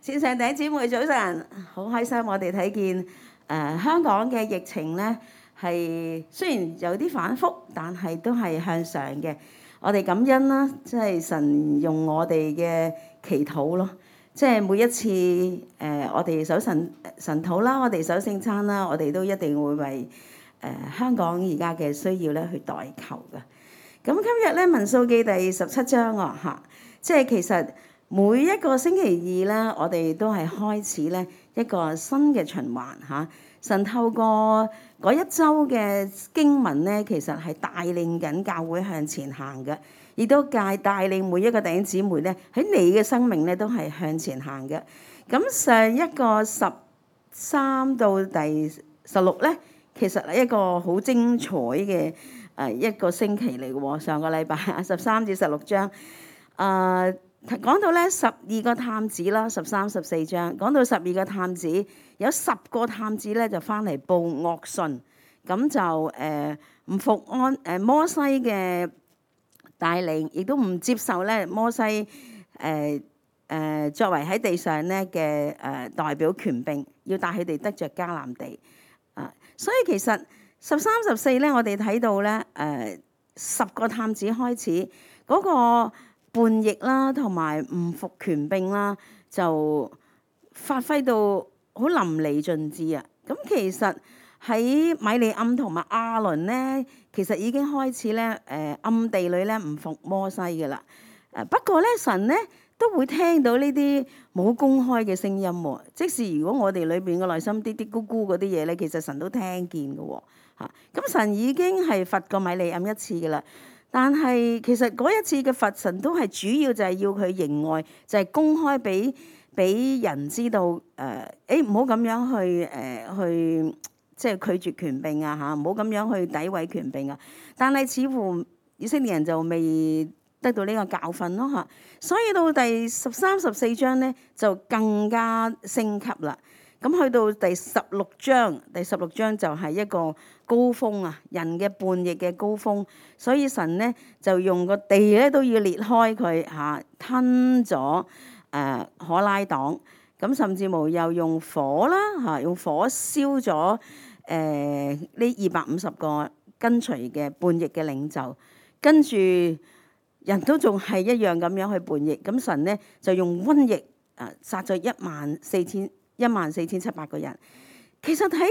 線上弟兄姊妹早晨，好開心我哋睇見香港嘅疫情咧係雖然有啲反覆，但係都係向上嘅。我哋感恩啦，即係神用我哋嘅祈禱咯，即係每一次我哋守神禱啦，我哋守聖餐啦，我哋都一定會為香港而家嘅需要咧去代求嘅。咁今日咧民數記第17章嚇，即係其實每一個星期二咧，我哋都係開始咧一個新嘅循環嚇。神透過嗰一周嘅經文咧，其實係帶領緊教會向前行嘅，亦都帶領每一個弟兄姊妹咧喺你嘅生命咧都係向前行嘅。咁上一個13到第16咧，其實係一個好精彩嘅一個星期嚟嘅喎。上個禮拜13至16章，講到咧12個探子啦，13、14章講到12個探子，有10個探子咧就翻嚟報惡訊，咁就唔服摩西嘅帶領，亦都唔接受咧摩西作為喺地上咧嘅代表權柄，要帶佢哋得着迦南地。所以其實13、14咧，我哋睇到咧10個探子開始嗰個叛逆啦，同埋唔服權柄啦，就發揮到好淋漓盡致啊！咁其實喺米利暗同埋亞倫咧，其實已經開始咧暗地裏咧唔服摩西嘅啦。不過咧神咧都會聽到呢啲冇公開嘅聲音喎。即使如果我哋裏邊嘅內心啲啲咕咕嗰啲嘢咧，其實神都聽見嘅喎嚇。咁神已經係罰過米利暗一次嘅啦。但係其實嗰一次嘅罰神都係主要就係要佢認外，就係公開俾人知道唔好咁樣去即係拒絕權柄啊嚇，唔好咁樣去詆毀權柄啊。但係似乎以色列人就未得到呢個教訓咯嚇，所以到第13、14章咧就更加升級啦。咁去到第16章就係一個高峰啊，人嘅叛逆嘅高峰，所以神咧就用個地咧都要裂開佢嚇，吞咗可拉黨，咁甚至乎又用火啦嚇，用火燒咗呢250個跟隨嘅叛逆嘅領袖，跟住人都仲係一樣咁樣去叛逆，咁神咧就用瘟疫殺咗14,700個人。其實睇見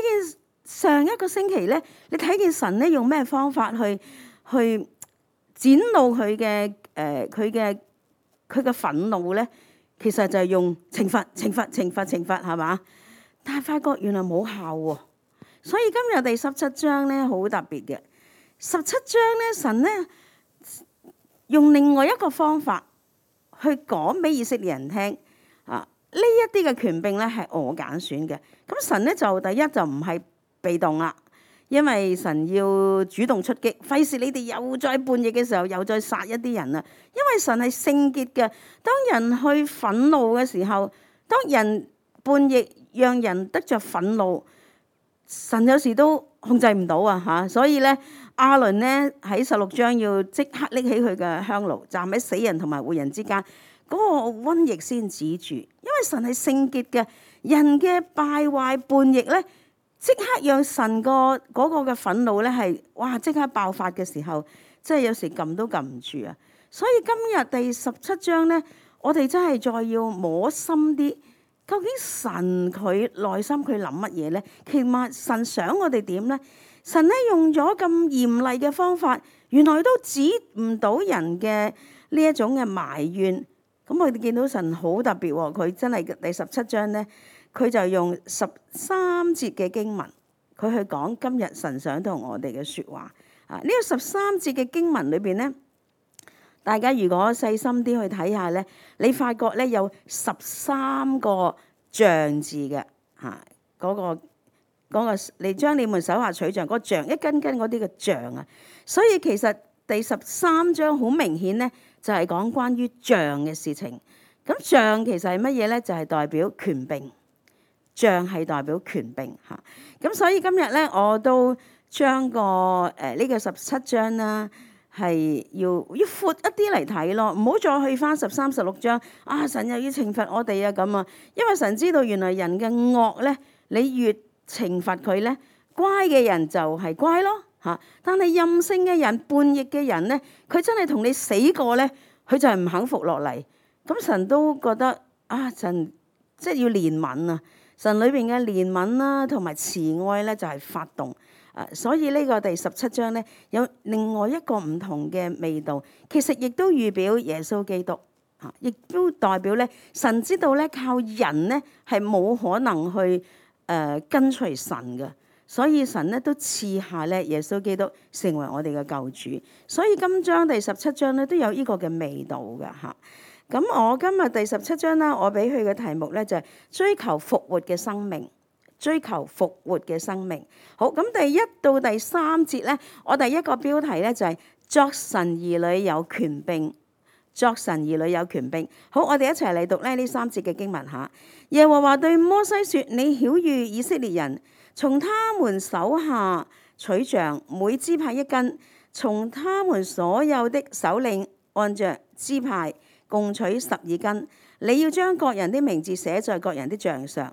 上一個星期咧，你睇見神咧用咩方法去展露佢嘅憤怒咧？其實就係用懲罰係嘛？但係發覺原來冇效喎。所以今日第17章咧好特別嘅。17章咧神咧用另外一個方法去講俾以色列人聽啊。呢一啲嘅權柄咧係我揀選嘅，咁神咧就第一就唔係被動啦，因為神要主動出擊，費事你哋又再叛逆嘅時候又再殺一啲人啊。因為神係聖潔嘅，當人去憤怒嘅時候，當人叛逆讓人得着憤怒，神有時都控制唔到啊嚇。所以咧亞倫咧喺16章要即刻拎起佢嘅香爐，站喺死人同埋活人之間。嗰個瘟疫先止住，因為神係聖潔嘅，人嘅敗壞叛逆咧，即刻讓神嗰個嘅憤怒咧係哇即刻爆發嘅時候，即係有時撳都撳唔住啊！所以今日第17章咧，我哋真係再要摸深啲，究竟神佢內心佢諗乜嘢咧？其實神想我哋點咧？神咧用咗咁嚴厲嘅方法，原來都止唔到人嘅呢一種嘅埋怨。咁我哋見到神好特別喎，佢真係第17章咧，佢就用13節嘅經文，佢去講今日神想同我哋嘅説話。呢個13節嘅經文裏邊咧，大家如果細心啲去睇下咧，你發覺咧有13個像字嘅嚇，嗰個你將你們手下取像嗰個像一根根嗰啲嘅像啊，所以其實第13章好明顯咧。就係講關於杖嘅事情，咁杖其實係乜嘢咧？就係代表權柄，杖係代表權柄嚇。咁所以今日咧，我都將呢個17章啦，係要闊一啲嚟睇咯，唔好再去翻13、16章啊！神又要懲罰我哋啊咁啊，因為神知道原來人嘅惡咧，你越懲罰佢咧，乖嘅人就係乖咯嚇。但係任性嘅人、叛逆嘅人咧，佢真係同你死過咧，佢就係唔肯服落嚟。咁神都覺得啊，神即係要憐憫啊！神裏邊嘅憐憫啦，同埋慈愛咧，就係發動。所以呢個第17章咧，有另外一個唔同嘅味道，其實亦都預表耶穌基督，亦都代表咧，神知道咧，靠人咧係冇可能去跟隨神嘅，所以神咧都賜下咧耶穌基督成為我哋嘅救主。所以今章第17章咧都有呢個嘅味道嘅嚇。咁我今日第17章啦，我俾佢嘅題目咧就係追求復活嘅生命。追求復活嘅生命。好，咁第1到第3節咧，我第一個標題咧就係作神兒女有權柄。作神兒女有權柄。好，我哋一齊嚟讀咧呢3節嘅經文嚇。耶和華對摩西說：你曉諭以色列人，從他們手下取杖，每支派1根，從他們所有的首領按着支派共取12根。你要將各人的名字寫在各人的杖上。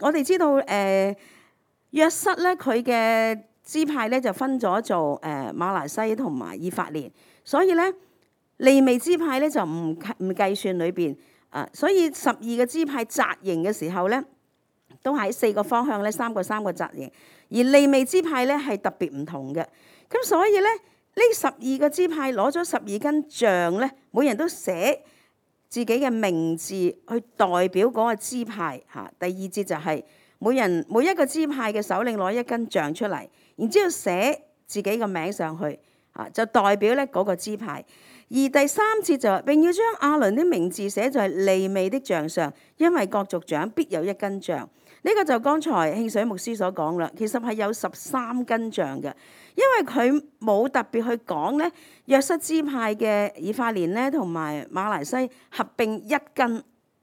我哋知道約瑟咧，佢嘅支派咧就分咗做瑪拿西同埋以法蓮，所以咧利未支派咧就唔計算裏邊。所以12個支派紮營嘅時候咧，都喺4個方向咧3個紮營，而利未支派咧係特別唔同嘅。咁所以咧呢12個支派攞咗12根杖咧，每人都寫自己嘅名字去代表嗰個支派嚇。第2節就係每一個支派嘅首領攞1根杖出嚟，然之後寫自己嘅名上去嚇，就代表咧嗰個支派。而第3節就並要將亞倫的名字寫在利未的杖上，因為各族長必有1根杖。呢個就剛才慶水牧師所講啦，其實係有13根杖嘅，因為佢冇特別去講咧約瑟支派嘅以法蓮咧同埋瑪拿西合併1根，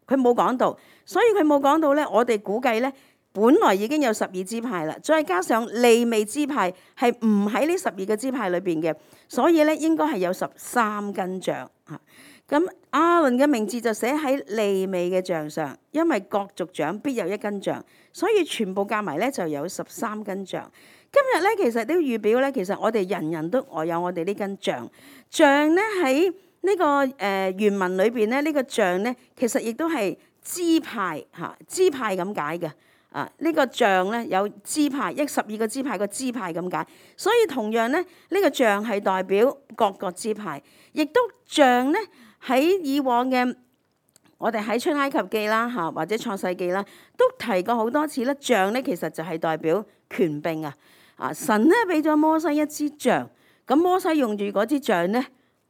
佢冇講到，所以佢冇講到咧。我哋估計咧，本來已經有12支派啦，再加上利未支派係唔喺呢12個支派裏邊嘅，所以咧應該係有13根杖嚇。咁亞倫嘅名字就寫喺利未嘅杖上，因為各族長必有1根杖，所以全部加埋咧就有13根杖。今日咧其實都預表咧，其實我哋人人都有我哋呢根杖。杖咧喺呢個原文裏邊咧，呢個杖咧其實亦都係支派嚇，支派咁解嘅。呢個杖咧有支派，12個支派個支派咁解，所以同樣咧呢個杖係代表各個支派，亦都杖咧。喺以往嘅我哋喺出埃及記啦嚇，或者創世記啦，都提過好多次咧。杖咧其實就係代表權柄啊！神咧俾咗摩西一支杖，咁摩西用住嗰支杖咧，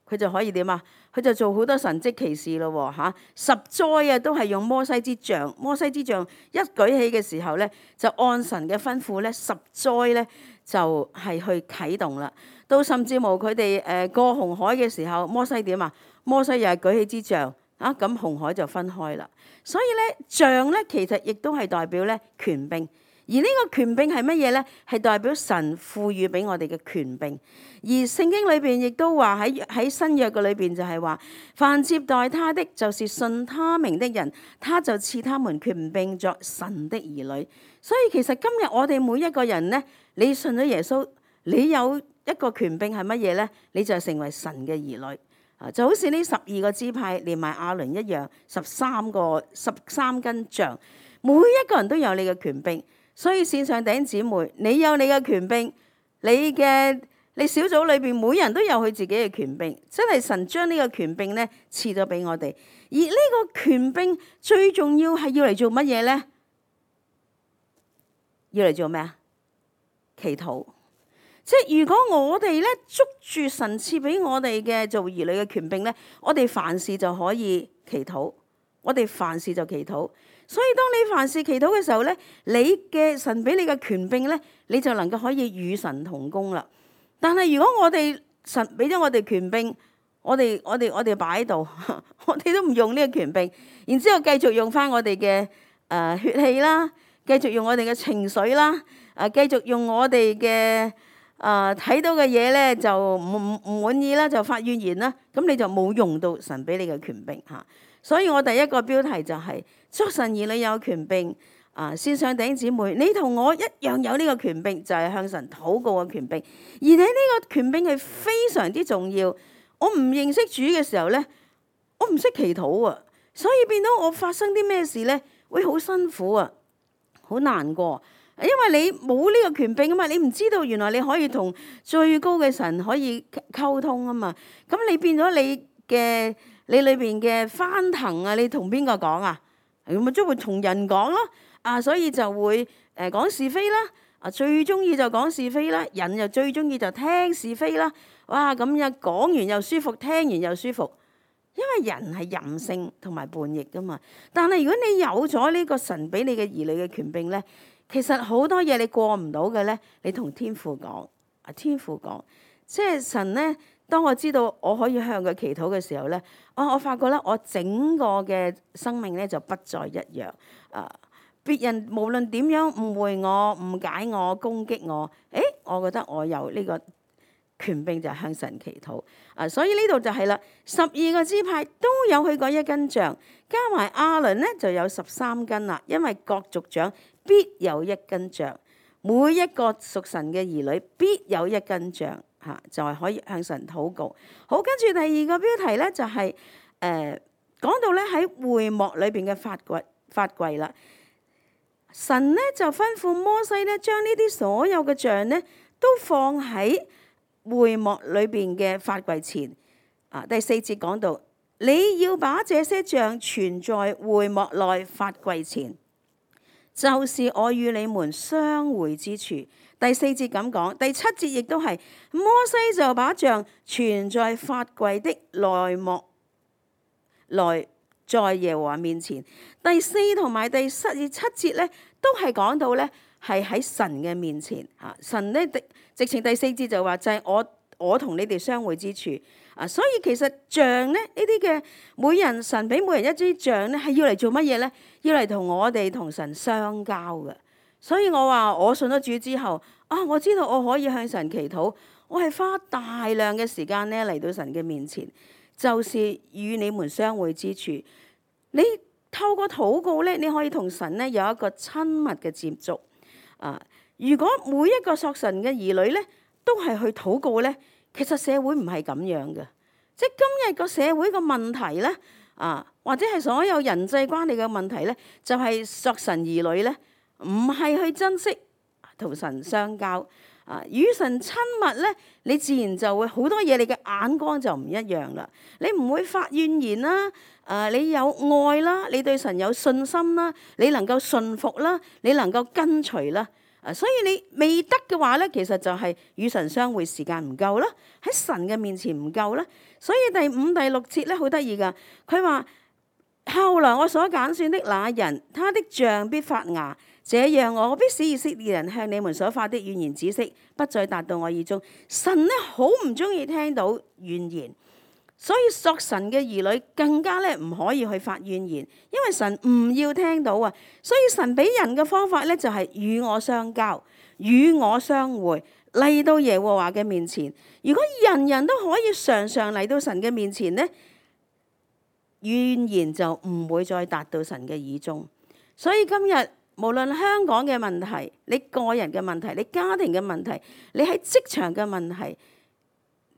佢就可以點啊？佢就做好多神蹟奇事咯喎嚇！10災都係用摩西支杖。摩西支杖一舉起嘅時候咧，就按神嘅吩咐咧，10災咧就係去啟動啦。到甚至乎佢哋過紅海嘅時候，摩西點啊？摩西又係舉起支杖咁紅海就分開啦。所以咧杖咧其實亦都係代表咧權柄，而呢個權柄係乜嘢咧？係代表神賦予俾我哋嘅權柄。而聖經裏邊亦都話喺新約嘅裏邊就係話，凡接待他的，就是信他名的人，他就賜他們權柄作神的兒女。所以其實今日我哋每一個人咧，你信咗耶穌，你有一個權柄係乜嘢咧？你就成為神嘅兒女。就好似呢12個支派連埋亞倫一樣，13根杖，每一個人都有你嘅權柄。所以線上弟兄姊妹，你有你嘅權柄，你小組裏邊每人都有佢自己嘅權柄，真係神將呢個權柄咧賜咗俾我哋。而呢個權柄最重要係要嚟做乜嘢咧？要嚟做咩啊？祈禱。即係如果我哋咧捉住神賜俾我哋嘅做兒女嘅權柄咧，我哋凡事就可以祈禱，我哋凡事就祈禱。所以當你凡事祈禱嘅時候咧，你嘅神俾你嘅權柄咧，你就能夠可以與神同工啦。但係如果我哋神俾咗我哋權柄，我哋擺喺度，我哋都唔用呢個權柄，然之後繼續用翻我哋嘅血氣啦，繼續用我哋嘅情緒啦，繼續用我哋嘅睇到嘅嘢咧就唔滿意啦，就發怨言啦，咁你就冇用到神俾你嘅權柄嚇。所以我第一個標題就係作神兒女有權柄。線上弟兄姊妹，你同我一樣有呢個權柄，就係向神禱告嘅權柄。而你呢個權柄係非常之重要。我唔認識主嘅時候咧，我唔識祈禱啊，所以變到我發生啲咩事咧，會好辛苦啊，好難過。因為你冇呢個權柄啊嘛，你唔知道原來你可以同最高嘅神可以溝通啊嘛。咁你變咗你裏邊嘅翻騰啊，你同邊個講啊？咁咪即會同人講咯。所以就會講是非啦。最中意就講是非啦。人又最中意就聽是非啦。哇！咁樣講完又舒服，聽完又舒服。因為人係任性同埋叛逆噶嘛。但係如果你有咗呢個神俾你嘅兒女嘅權柄咧，其實好多嘢你過唔到嘅咧，你同天父講。天父講，即係神咧。當我知道我可以向佢祈禱嘅時候咧，我發覺咧，我整個嘅生命咧就不再一樣。別人無論點樣誤會我、誤解我、攻擊我，我覺得我有呢個權柄就係向神祈禱。所以呢度就係啦，12個支派都有佢嗰一根杖，加埋亞倫咧就有13根啦。因為各族長必有一根杖，每一個屬神嘅兒女必有一根杖。就係可以向神禱告。好，跟住第二個標題咧就係講到咧喺會幕裏邊嘅法櫃啦。神咧就吩咐摩西咧將呢啲所有嘅杖咧都放喺會幕裏邊嘅法櫃前。第4節講到你要把這些杖存在會幕內法櫃前，就是我與你們相會之處。第4節咁講，第7節亦都係摩西就把杖存在法櫃的內幕內，在耶和華面前。第4同埋第7節咧，都係講到咧係喺神嘅面前。神咧直情第4節就話就係我同你哋相會之處。所以其實杖咧呢啲嘅每人神俾每人一支杖咧係要嚟做乜嘢咧？要嚟同我哋同神相交嘅。所以我話我信咗主之後，我知道我可以向神祈禱，我係花大量嘅時間咧嚟到神嘅面前，就是與你們相會之處。你透過禱告咧，你可以同神咧有一個親密嘅接觸。如果每一個屬神嘅兒女咧都係去禱告咧，其實社會唔係咁樣嘅。即係今日個社會個問題咧，或者係所有人際關係嘅問題咧，就係屬神兒女咧。唔係去珍惜同神相交，與神親密咧，你自然就會好多嘢，你嘅眼光就唔一樣啦。你唔會發怨言啦，你有愛啦，你對神有信心啦，你能夠順服啦，你能夠跟隨啦。所以你未得嘅話咧，其實就係與神相會時間唔夠啦，喺神嘅面前唔夠啦。所以第5、第6節咧好得意噶，佢話後來我所揀選的那人，他的杖必發芽。這樣我必使以色列人向你們所發的怨言止息，不再達到我耳中。神咧好唔中意聽到怨言，所以屬神嘅兒女更加咧唔可以去發怨言，因為神唔要聽到啊。所以神俾人嘅方法咧就係與我相交，與我相會，嚟到耶和華嘅面前。如果人人都可以常常嚟到神嘅面前咧，怨言就唔會再達到神嘅耳中。所以今日無論香港嘅問題，你個人嘅問題，你家庭嘅問題，你喺職場嘅問題，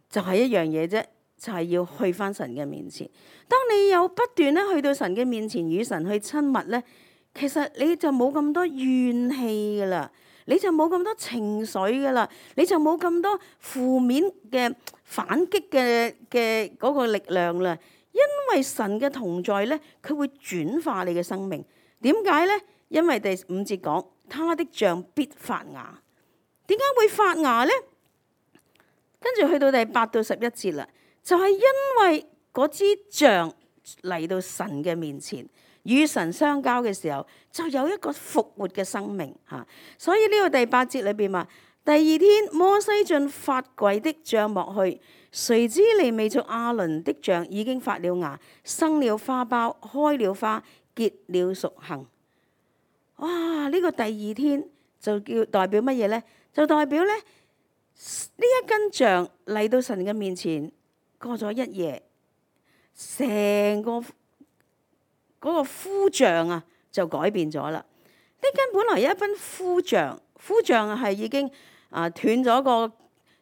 就係一樣嘢啫，就係要去返神嘅面前。當你有不斷咧去到神嘅面前與神去親密咧，其實你就冇咁多怨氣噶啦，你就冇咁多情緒噶啦，你就冇咁多負面嘅反擊嘅嗰個力量啦。因為神嘅同在咧，佢會轉化你嘅生命。點解咧？因為第5節講，他的杖必發芽。點解會發芽咧？跟住去到第8到11節啦，就係因為嗰支杖嚟到神嘅面前，與神相交嘅時候，就有一個復活嘅生命嚇。所以呢個第8節裏邊話，第2天摩西進法櫃的帳幕去，誰知利未族亞倫的杖已經發了芽，生了花苞，開了花，結了熟杏。哇！呢個第2天就叫代表乜嘢咧？就代表咧呢一根杖嚟到神嘅面前，過咗一夜，成個嗰個枯杖啊就改變咗啦。呢根本來一根枯杖係已經斷咗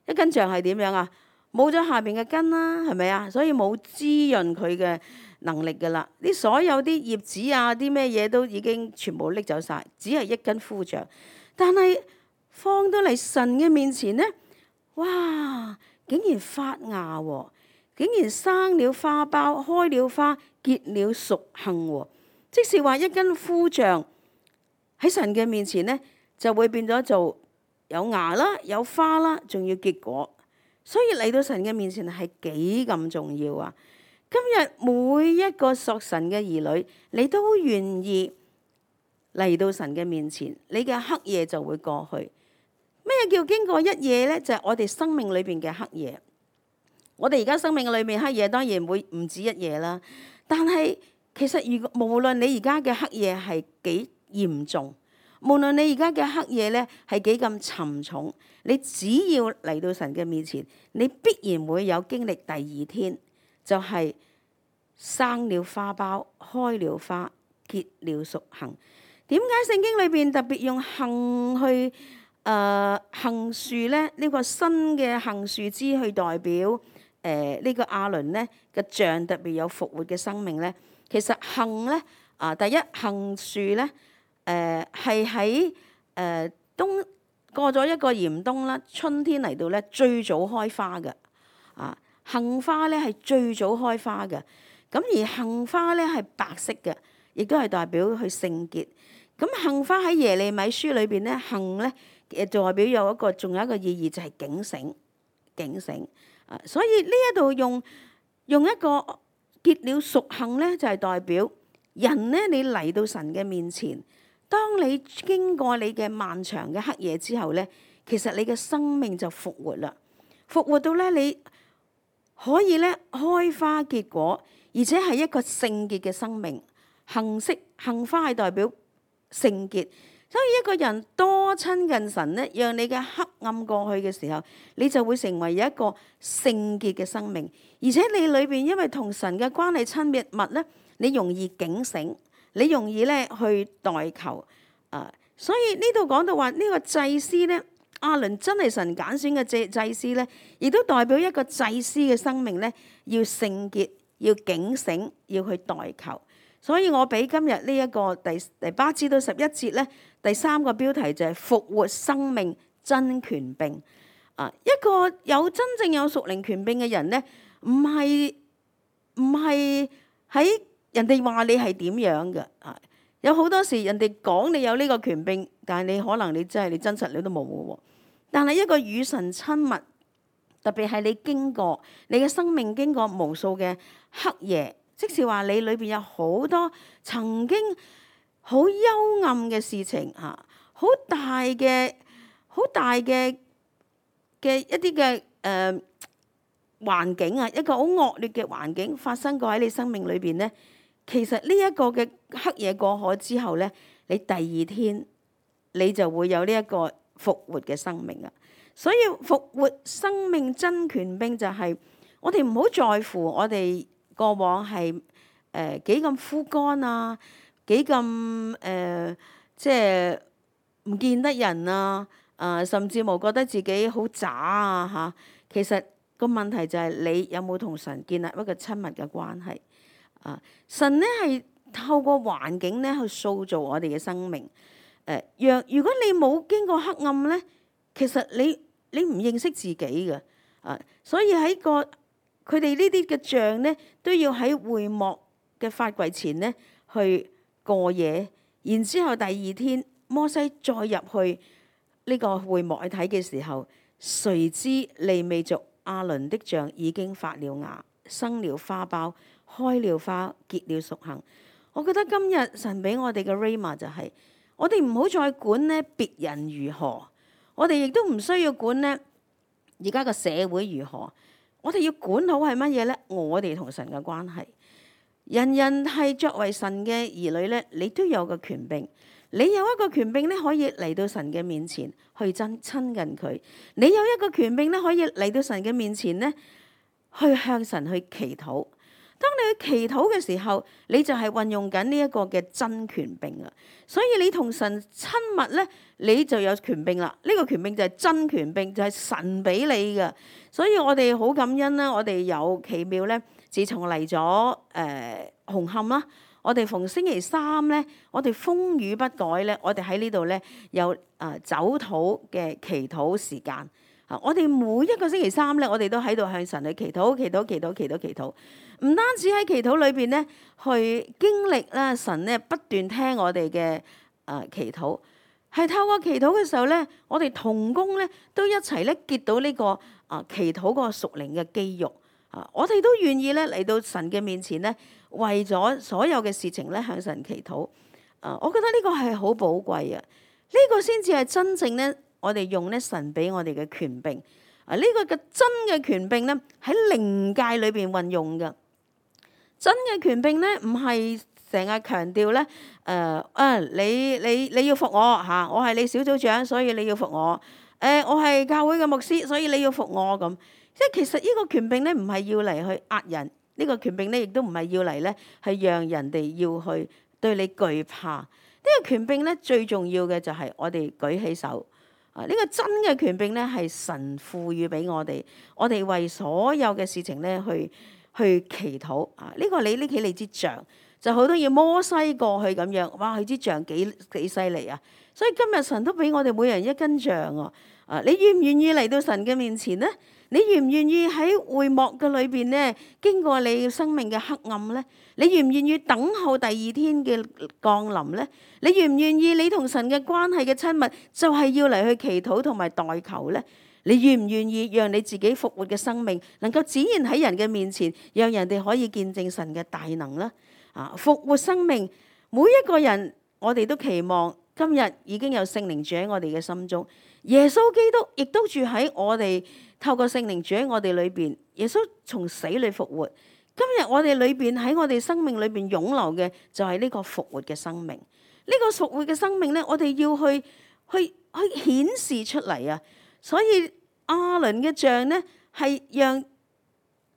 一根杖係點樣啊？冇咗下邊嘅根啦，係咪啊？所以冇滋潤佢嘅能力噶啦。啲所有啲葉子啊，啲咩嘢都已經全部拎走晒，只係一根枯杖。但係放到嚟神嘅面前咧，哇！竟然發芽喎，竟然生了花苞，開了花，結了熟杏喎。即是話一根枯杖喺神嘅面前咧，就會變咗做有芽啦，有花啦，仲要結果。所以嚟到神嘅面前係幾咁重要啊！今日每一個屬神嘅兒女，你都願意嚟到神嘅面前，你嘅黑夜就會過去。咩叫經過一夜呢？就係我哋生命裏邊嘅黑夜。我哋而家生命裏面黑夜當然會唔止一夜啦，但係其實如果無論你而家嘅黑夜係幾嚴重，無論你而家嘅黑夜咧係幾咁沉重，你只要嚟到神嘅面前，你必然會有經歷第二天，就係生了花苞，開了花，結了熟杏。點解聖經裏邊特別用杏去杏樹咧？呢個新嘅杏樹枝去代表呢個亞倫咧嘅杖特別有復活嘅生命咧。其實杏咧第一杏樹咧係喺冬過咗一個嚴冬啦，春天嚟到咧最早開花嘅。杏花咧係最早開花嘅。咁而杏花咧係白色嘅，亦都係代表佢聖潔。咁杏花喺耶利米書裏邊咧，杏咧代表有仲有一個意義就係警醒。所以呢一度用一個結了熟杏咧，就係代表人咧，你嚟到神嘅面前，當你經過你嘅漫長嘅黑夜之後咧，其實你嘅生命就復活啦，復活到咧你可以咧開花結果，而且係一個聖潔嘅生命。杏花係代表聖潔，所以一個人多親近神咧，讓你嘅黑暗過去嘅時候，你就會成為有一個聖潔嘅生命。而且你裏邊因為同神嘅關係親密咧，你容易警醒，你容易咧去代求。所以呢度講到話呢個祭司咧，亞倫真係神揀選嘅祭司咧，亦都代表一個祭司嘅生命咧，要聖潔，要警醒，要去代求。所以我俾今日呢一個第8至到11節咧，第3個標題就係復活生命真權柄。一個真正有屬靈權柄嘅人咧，唔係喺人哋話你係點樣嘅。有好多時人哋講你有呢個權柄，但係你可能你真實你都冇嘅喎。但係一個與神親密，特別係你嘅生命經過無數嘅黑夜。即是話你裏邊有好多曾經好幽暗嘅事情，好大嘅一啲嘅環境啊，一個好惡劣嘅環境發生過喺你生命裏邊咧。其實呢一個嘅黑夜過海之後咧，你第二天你就會有呢一個復活嘅生命啊。所以復活生命真權柄就係我哋唔好在乎我哋過往係幾咁枯乾啊，幾咁即係唔見得人啊，甚至冇覺得自己好渣啊嚇。其實個問題就係你有冇同神建立一個親密嘅關係。神咧係透過環境咧去塑造我哋嘅生命。如果你冇經過黑暗咧，其實你唔認識自己嘅。所以喺佢哋呢啲嘅杖咧，都要喺會幕嘅法櫃前咧去過夜，然之後第二天摩西再入去呢個會幕去睇嘅時候，誰知利未族亞倫的杖已經發了芽，生了花苞，開了花，結了熟杏。我覺得今日神俾我哋嘅 Rhema 就係，我哋唔好再管咧別人如何，我哋亦都唔需要管咧而家個社會如何。我哋要管好係乜嘢咧？我哋同神嘅關係。人人係作為神嘅兒女咧，你都有個權柄。你有一個權柄咧，可以嚟到神嘅面前去親近佢。你有一個權柄咧，可以嚟到神嘅面前咧，去向神去祈禱。當你去祈禱嘅時候，你就係運用緊呢一個嘅真權柄啊！所以你同神親密咧，你就有權柄啦。呢個權柄就係真權柄，就係神俾你嘅。所以我哋好感恩啦，我哋有奇妙咧。自從嚟咗紅磡啦，我哋逢星期三咧，我哋風雨不改咧，我哋喺呢度咧有走禱嘅祈禱時間。我哋每一個星期三咧，我哋都喺度向神去祈禱、祈禱、祈禱、祈禱、祈禱。唔單止喺祈禱裏邊咧，去經歷啦神咧不斷聽我哋嘅祈禱，係透過祈禱嘅時候咧，我哋同工咧都一齊咧結到呢個祈禱嗰個屬靈嘅肌肉。我哋都願意咧嚟到神嘅面前咧，為咗所有嘅事情咧向神祈禱。我覺得呢個係好寶貴啊！呢個先至係真正咧，我哋用咧神俾我哋嘅權柄。呢個嘅真嘅權柄咧喺靈界裏邊運用嘅。真嘅權柄咧唔係成日強調咧，你要服我嚇，我係你小組長，所以你要服我。我係教會嘅牧師，所以你要服我咁。即係其實呢個權柄咧，唔係要嚟去壓人，呢個權柄咧，亦都唔係要嚟咧，係讓人哋要去對你懼怕。呢個權柄咧，最重要嘅就係我哋舉起手。呢個真嘅權柄咧，係神賦予俾我哋，我哋為所有嘅事情咧去祈禱。呢個你拎起你支杖，就好多要摩西過去咁樣。哇！佢支杖幾犀利啊！所以今日神都俾我哋每人一根杖啊！你願唔願意嚟到神嘅面前咧？你願唔願意喺會幕嘅裏邊咧，經過你生命嘅黑暗咧？你願唔願意等候第二天嘅降臨咧？你願唔願意你同神嘅關係嘅親密，就係要嚟去祈禱同埋代求咧？你願唔願意讓你自己復活嘅生命能夠展現喺人嘅面前，讓人哋可以見證神嘅大能咧？復活生命，每一個人我哋都期望今日已經有聖靈住喺我哋嘅心中，耶穌基督亦都住喺我哋。透過聖靈住喺我哋裏邊，耶穌從死裏復活。今日我哋裏邊喺我哋生命裏邊湧流嘅就係呢個復活嘅生命。呢個復活嘅生命咧，我哋要去顯示出嚟啊！所以亞倫嘅杖咧係讓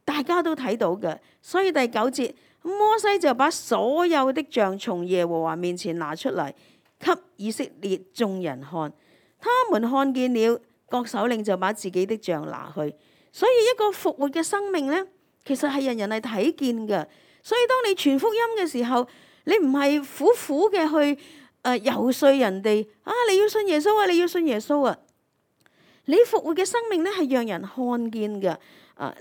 大家都睇到嘅。所以第9節，摩西就把所有的杖從耶和華面前拿出嚟，給以色列眾人看。他們看見了。各首領就把自己的杖拿去，所以一個復活嘅生命咧，其實係人人係睇見嘅。所以當你傳福音嘅時候，你唔係苦苦嘅去遊說人哋你要信耶穌啊，你要信耶穌啊。你復活嘅生命咧係讓人看見嘅。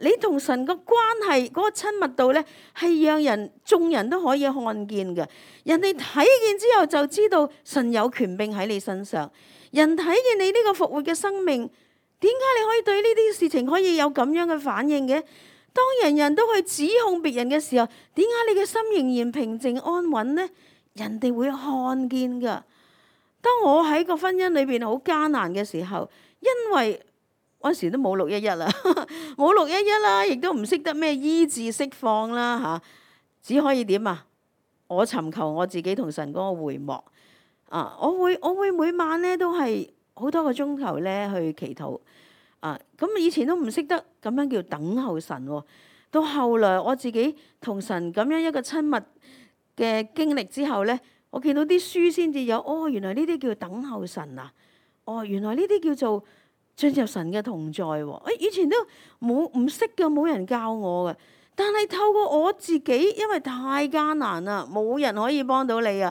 你同神個關係嗰個親密度咧係讓眾人都可以看見嘅。人哋睇見之後就知道神有權柄喺你身上。人睇見你呢個復活嘅生命，點解你可以對呢啲事情可以有咁樣嘅反應嘅？當人人都去指控別人嘅時候，點解你嘅心仍然平靜安穩呢？人哋會看見噶。當我喺個婚姻裏邊好艱難嘅時候，因為嗰時都冇611啦，冇611啦，亦都唔識得咩醫治釋放啦嚇，只可以點啊？我尋求我自己同神嗰個會幕。我會每晚咧都係好多個鐘頭咧去祈禱。咁以前都唔識得咁樣叫等候神喎。到後來我自己同神咁樣一個親密嘅經歷之後咧，我見到啲書先至有，原來呢啲叫等候神啊！原來呢啲叫做進入神嘅同在喎。以前都唔識嘅，冇人教我嘅。但係透過我自己，因為太艱難啦，冇人可以幫到你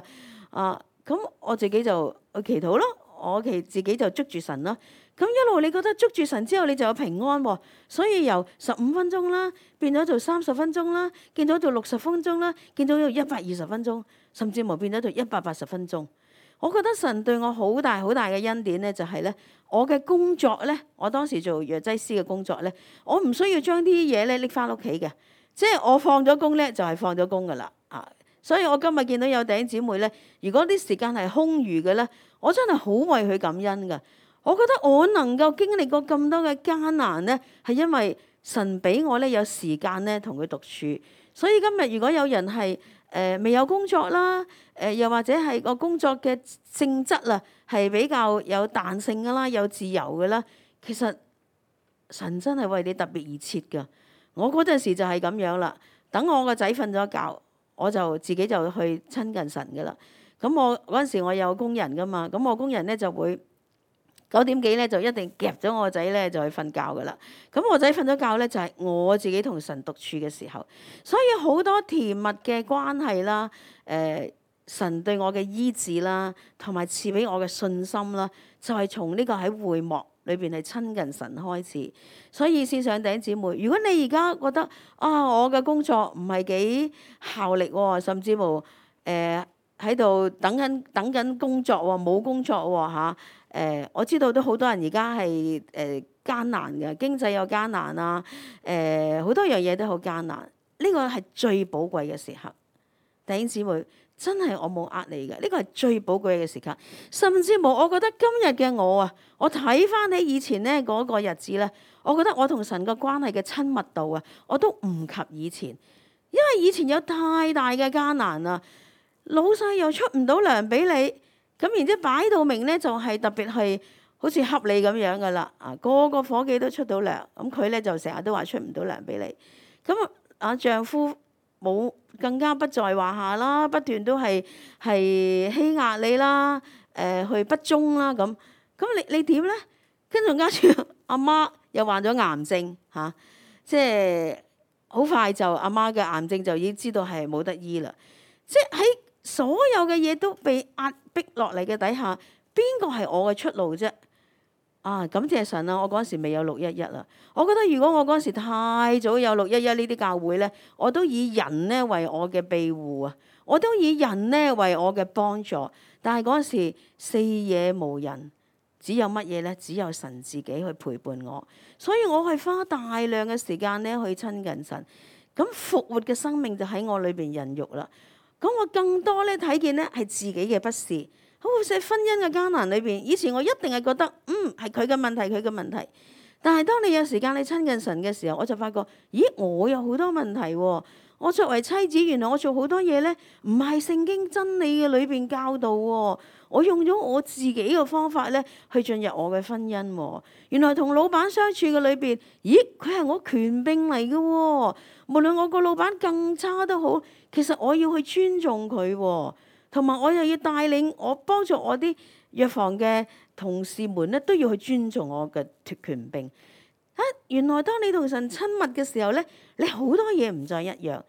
啊！咁我自己就去祈禱咯，我自己就捉住神啦。咁一路你覺得捉住神之後，你就有平安喎。所以由15分鐘啦，變咗做30分鐘啦，變咗做60分鐘啦，變咗做120分鐘，甚至乎變咗做180分鐘。我覺得神對我好大好大嘅恩典咧，就係咧，我嘅工作咧，我當時做藥劑師嘅工作咧，我唔需要將啲嘢咧拎翻屋企嘅，即係我放咗工咧就係放咗工噶啦。所以我今日見到有弟兄姊妹咧，如果啲時間係空餘嘅咧，我真係好為佢感恩噶。我覺得我能夠經歷過咁多嘅艱難咧，係因為神俾我咧有時間咧同佢獨處，所以今日如果有人係未有工作啦，又或者係個工作嘅性質啊，係比較有彈性噶啦，有自由嘅啦，其實神真係為你特別而設㗎。我嗰陣時就係咁樣啦。等我個仔瞓咗覺，我就自己就去親近神噶啦。咁我嗰陣時我有工人噶嘛，咁我工人咧就會9點幾咧就一定夾咗我個仔咧就去瞓覺噶啦。咁我仔瞓咗覺咧就係我自己同神獨處嘅時候，所以好多甜蜜嘅關係啦，神對我嘅醫治啦，同埋賜俾我嘅信心啦，就係從呢個喺會幕裏邊係親近神開始。所以線上弟兄姊妹，如果你而家覺得我嘅工作唔係幾效力喎，甚至乎喺度等緊工作喎，冇工作喎嚇。我知道都好多人而家係艱難嘅，經濟有艱難啊，好多樣嘢都好艱難。呢個係最寶貴嘅時刻，弟兄姊妹，真係我冇呃你嘅，呢個係最寶貴嘅時刻。甚至乎我覺得今日嘅我啊，我睇翻起以前咧嗰個日子咧，我覺得我同神嘅關係嘅親密度啊，我都唔及以前，因為以前有太大嘅艱難啊，老細又出唔到糧俾你。咁然之後擺到明咧，就係特別係好似恰你咁樣噶啦，個個夥計都出到糧，咁佢咧就成日都話出唔到糧俾你。咁丈夫冇更加不在話下啦，不斷都係欺壓你啦，去不忠啦咁。咁你點咧？跟住阿媽又患咗癌症嚇，即係好快就阿媽嘅癌症就已經知道係冇得醫啦。即係喺所有嘅嘢都被壓迫落嚟嘅底下，邊個係我嘅出路啫？感謝神啊！我嗰陣時未有611啦。我覺得如果我嗰陣時太早有611呢啲教會咧，我都以人咧為我嘅庇護啊，我都以人咧為我嘅幫助。但係嗰陣時四野無人，只有乜嘢咧？只有神自己去陪伴我，所以我係花大量嘅時間咧去親近神。咁復活嘅生命就喺我裏邊孕育啦。咁我更多咧睇見咧係自己嘅不是，好似婚姻嘅艱難裏邊，以前我一定係覺得係佢嘅問題，佢嘅問題。但係當你有時間你親近神嘅時候，我就發覺，咦，我有好多問題喎。我作為妻子，原來我做好多嘢咧，唔係聖經真理嘅裏邊教導喎。我用咗我自己嘅方法咧，去進入我嘅婚姻喎。原來同老闆相處嘅裏邊，咦，佢係我權柄嚟嘅喎。無論我個老闆更差都好，其實我要去尊重佢喎，同埋我又要帶領我幫助我啲藥房嘅同事們咧，都要去尊重我嘅權柄。原來當你同神親密嘅時候咧，你好多嘢唔再一樣。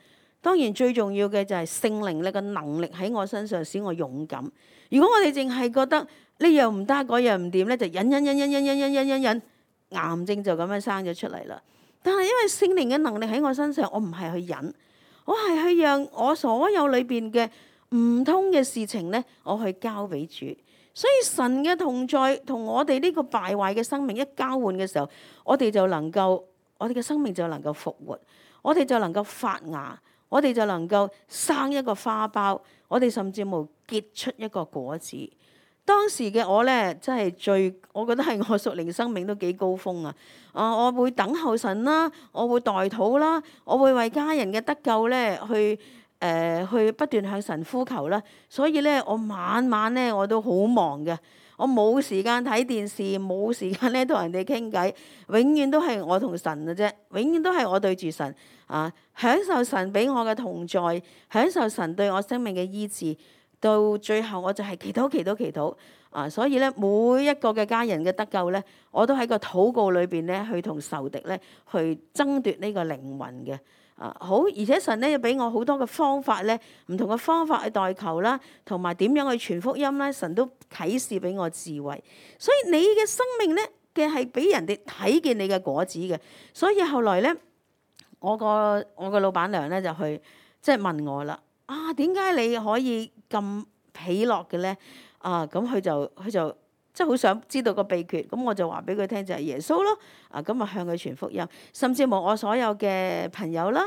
當然最重要嘅就係聖靈你嘅能力喺我身上使我勇敢。如果我哋淨係覺得呢樣唔得，嗰樣唔掂咧，就忍，癌症就咁樣生咗出嚟啦。但係因為聖靈嘅能力喺我身上，我唔係去忍，我係去讓我所有裏邊嘅唔通嘅事情咧，我去交俾主。所以神嘅同在同我哋呢個敗壞嘅生命一交換嘅時候，我哋嘅生命就能夠復活，我哋就能夠發芽，我哋就能夠生一個花苞，我哋甚至乎結出一個果子。當時嘅我咧，真係我覺得係我屬靈生命都幾高峰啊！我會等候神啦，我會代禱啦，我會為家人嘅得救咧去不斷向神呼求啦。所以咧，我晚晚咧我都好忙嘅，我冇時間睇電視，冇時間咧同人哋傾偈，永遠都係我同神嘅啫，永遠都係我對住神享受神俾我嘅同在，享受神對我生命嘅醫治。到最後我就係祈禱所以咧，每一個嘅家人嘅得救咧，我都喺個禱告裏邊咧去同仇敵咧去爭奪呢個靈魂嘅好。而且神咧又俾我好多嘅方法咧，唔同嘅方法去代求啦，同埋點樣去傳福音咧，神都啟示俾我智慧。所以你嘅生命咧嘅係俾人哋睇見你嘅果子嘅。所以後來咧，我個老闆娘咧就去即係問我啦，點解你可以咁喜樂嘅咧？咁佢就即係好想知道個秘訣，咁我就話俾佢聽就係耶穌咯。咁啊向佢傳福音，甚至乎我所有嘅朋友啦，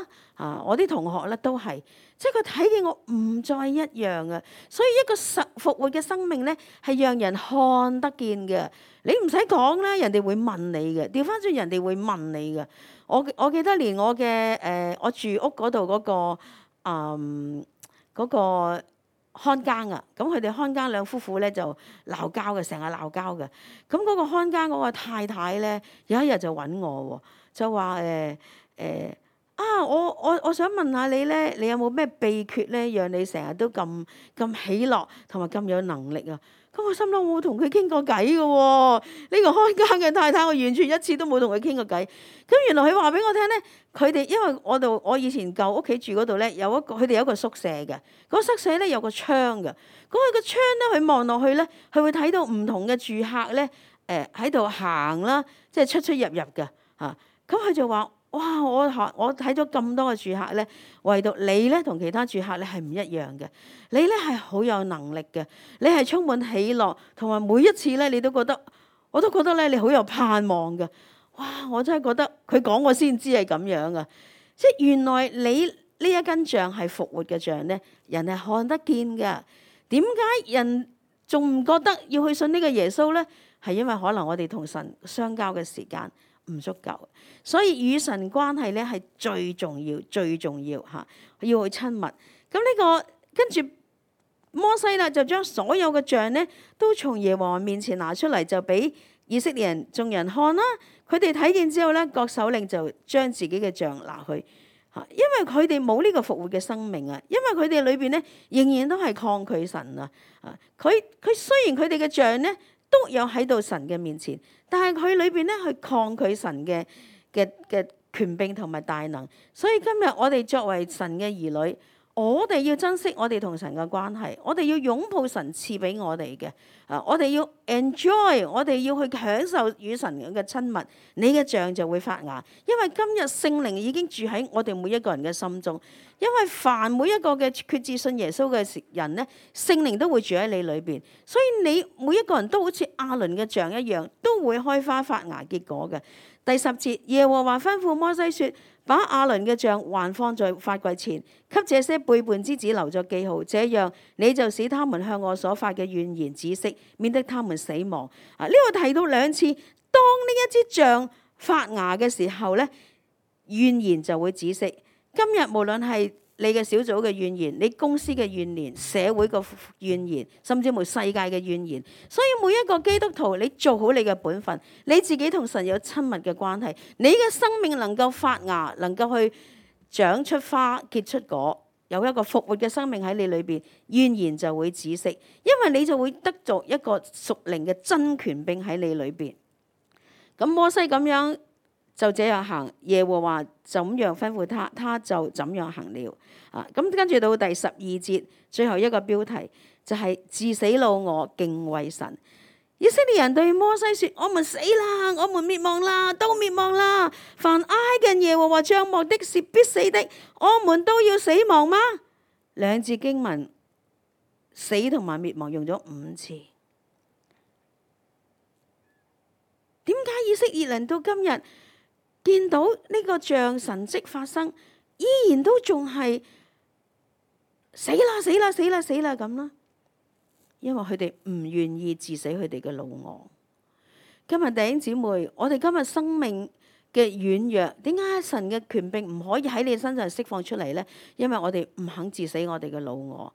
我啲同學咧都係，即係佢睇見我唔再一樣啊。所以一個復活嘅生命咧，係讓人看得見嘅。你唔使講啦，人哋會問你嘅，調翻轉人哋會問你嘅。我記得連我嘅我住屋嗰度嗰個看更啊，咁佢哋看更兩夫婦咧就鬧交嘅，成日鬧交嘅。咁嗰個看更嗰個太太咧，有一日就揾我喎，就話我想問下你咧，你有冇咩秘訣咧，讓你成日都咁喜樂同埋咁有能力啊？咁我心諗我冇同佢傾過偈嘅喎，呢個看更嘅太太我完全一次都冇同佢傾過偈。咁原來佢話俾我聽咧，佢哋因為我以前舊屋企住嗰度咧，佢哋有一個宿舍嘅，嗰宿舍咧有個窗嘅，嗰個窗咧佢望落去咧，佢會睇到唔同嘅住客咧喺度行啦，即係出入嘅嚇。咁佢就話：哇！我睇咗咁多嘅住客咧，唯獨你咧同其他住客咧係唔一樣嘅。你咧係好有能力嘅，你係充滿喜樂，同埋每一次咧你都覺得，我都覺得咧你好有盼望嘅。哇！我真係覺得佢講我先知係咁樣啊！即係原來你呢一根杖係復活嘅杖咧，人係看得見㗎。點解人仲唔覺得要去信呢個耶穌咧？係因為可能我哋同神相交嘅時間唔足夠，所以與神關係咧係最重要、最重要嚇，要去親密。咁呢個跟住摩西啦，就將所有嘅杖咧都從耶和華面前拿出嚟，就俾以色列人眾人看啦。佢哋睇見之後咧，各首領就將自己嘅杖拿去嚇，因為佢哋冇呢個復活嘅生命啊，因為佢哋裏邊咧仍然都係抗拒神啊。佢雖然佢哋嘅杖咧都有喺到神嘅面前，但係佢裏邊咧去抗拒神嘅權柄同埋大能。所以今日我哋作為神嘅兒女，我哋要珍惜我哋同神嘅關係，我哋要擁抱神賜俾我哋嘅，我哋要 enjoy， 我哋要去享受與神嘅親密，你嘅杖就會發芽。因為今日聖靈已經住喺我哋每一個人嘅心中，因為凡每一個嘅決志信耶穌嘅人咧，聖靈都會住喺你裏邊，所以你每一個人都好似亞倫嘅杖一樣，都會開花發芽結果嘅。第10節，耶和華吩咐摩西說：把亞倫嘅杖還放在法櫃前，給這些背叛之子留作記號，這樣你就使他們向我所發嘅怨言止息，免得他們死亡。呢個提到2次，當呢一支杖發芽嘅時候咧，怨言就會止息。今日無論係你嘅小組嘅怨言，你公司嘅怨言，社會嘅怨言，甚至乎世界嘅怨言。所以每一個基督徒，你做好你嘅本分，你自己同神有親密嘅關係，你嘅生命能夠發芽，能夠去長出花結出果，有一個復活嘅生命喺你裏邊，怨言就會止息，因為你就會得着一個屬靈嘅真權柄喺你裏邊。咁摩西咁樣就這樣行，耶和華怎樣吩咐他，他就怎樣行了。咁跟住到第12節，最後一個標題就係治死老我，敬畏神。以色列人對摩西說：我們死啦，我們滅亡啦，都滅亡啦！凡挨近耶和華帳幕的是必死的，我們都要死亡嗎？2節經文，死同埋滅亡用咗5次。點解以色列人到今日見到呢個像神蹟發生，依然都仲係死啦死啦死啦死啦咁啦？因為佢哋唔願意治死佢哋嘅老我。今日弟兄姊妹，我哋今日生命嘅軟弱，點解神嘅權柄唔可以喺你身上釋放出嚟呢？因為我哋唔肯治死我哋嘅老我，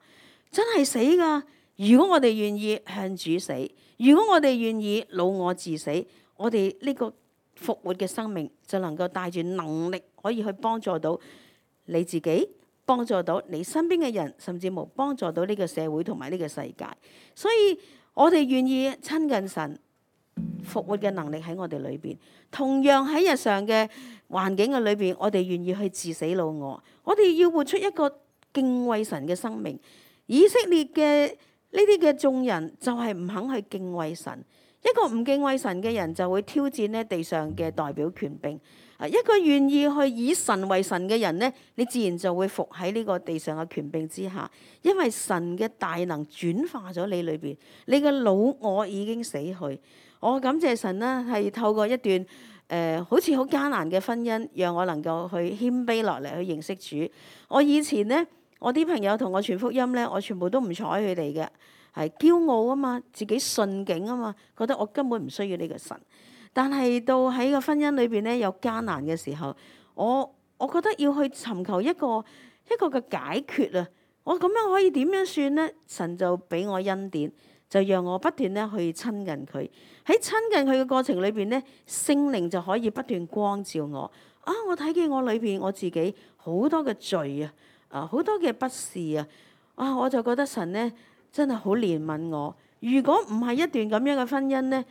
真係死噶。如果我哋願意向主死，如果我哋願意老我治死，我哋呢個復活嘅生命就能夠帶住能力，可以去幫助到你自己，幫助到你身邊嘅人，甚至乎幫助到呢個社會同埋呢個世界。所以我哋願意親近神，復活嘅能力喺我哋裏邊。同樣喺日常嘅環境嘅裏邊，我哋願意去治死老我。我哋要活出一個敬畏神嘅生命。以色列嘅呢啲嘅眾人就係唔肯去敬畏神。一個唔敬畏神嘅人就會挑戰呢地上嘅代表權柄。一個願意去以神為神嘅人咧，你自然就會服喺呢個地上嘅權柄之下，因為神嘅大能轉化咗你裏邊，你嘅老我已經死去。我感謝神啦，係透過一段好似好艱難嘅婚姻，讓我能夠去謙卑落嚟去認識主。我以前咧，我啲朋友同我傳福音咧，我全部都唔睬佢哋嘅，係驕傲啊嘛，自己順境啊嘛，覺得我根本唔需要呢個神。但係到喺個婚姻裏邊咧，有艱難嘅時候，我覺得要去尋求一個嘅解決啊！我咁樣可以點樣算咧？神就俾我恩典，就讓我不斷咧去親近佢。喺親近佢嘅過程裏邊咧，聖靈就可以不斷光照我。我睇見我裏邊我自己好多嘅罪啊，好多嘅不是啊，我就覺得神咧真係好憐憫我。如果唔係一段咁樣嘅婚姻咧，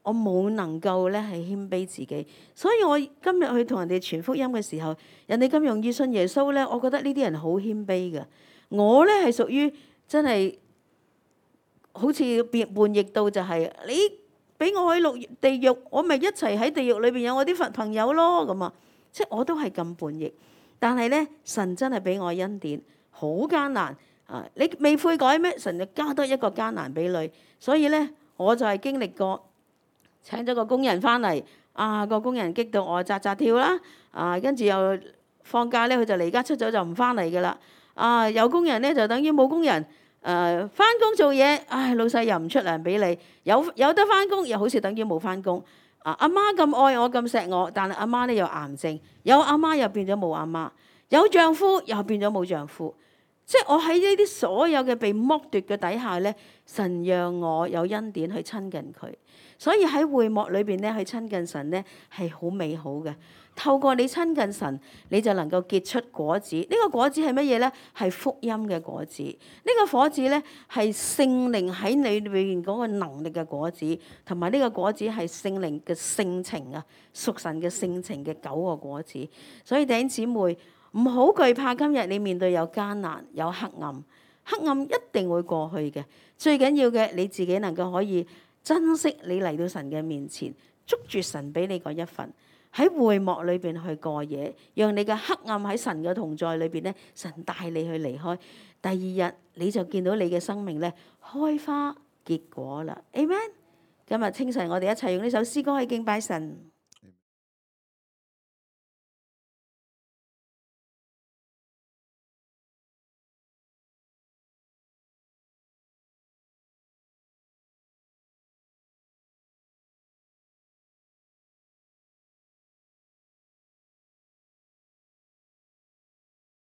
我冇能夠咧係謙卑自己，所以我今日去同人哋傳福音嘅時候，人哋咁容易信耶穌咧，我覺得呢啲人好謙卑嘅。我咧係屬於真係好似叛逆到就係你俾我去落地獄，我咪一齊喺地獄裏邊有我啲朋友咯咁啊！即係我都係咁叛逆，但係咧神真係俾我恩典，好艱難啊！你未悔改咩？神就加多一個艱難俾你，所以咧我就係經歷過。請咗個工人翻嚟，個工人激到我扎扎跳啦，跟住又放假咧，佢就離家出走就唔翻嚟噶啦，有工人咧就等於冇工人，翻工做嘢，老細又唔出糧俾你，有得翻工又好似等於冇翻工，阿媽咁愛我咁錫我，但係阿媽咧有癌症，有阿媽又變咗冇阿媽，有丈夫又變咗冇丈夫。即係我喺呢啲所有嘅被剝奪嘅底下咧，神讓我有恩典去親近佢，所以喺會幕裏邊咧去親近神咧係好美好嘅。透過你親近神，你就能夠結出果子。呢個果子係乜嘢咧？係福音嘅果子。呢個果子咧係聖靈喺你裏邊嗰個能力嘅果子，同埋呢個果子係聖靈嘅性情啊，屬神嘅性情嘅9個果子。所以弟兄姊妹，唔好懼怕今日你面對有艱難有黑暗，黑暗一定會過去嘅。最緊要嘅你自己能夠可以珍惜你嚟到神嘅面前，捉住神俾你嗰一份，喺會幕裏邊去過夜，讓你嘅黑暗喺神嘅同在裏邊咧，神帶你去離開。第二日你就見到你嘅生命咧開花結果啦。Amen。今日清晨我哋一齊用呢首詩歌去敬拜神。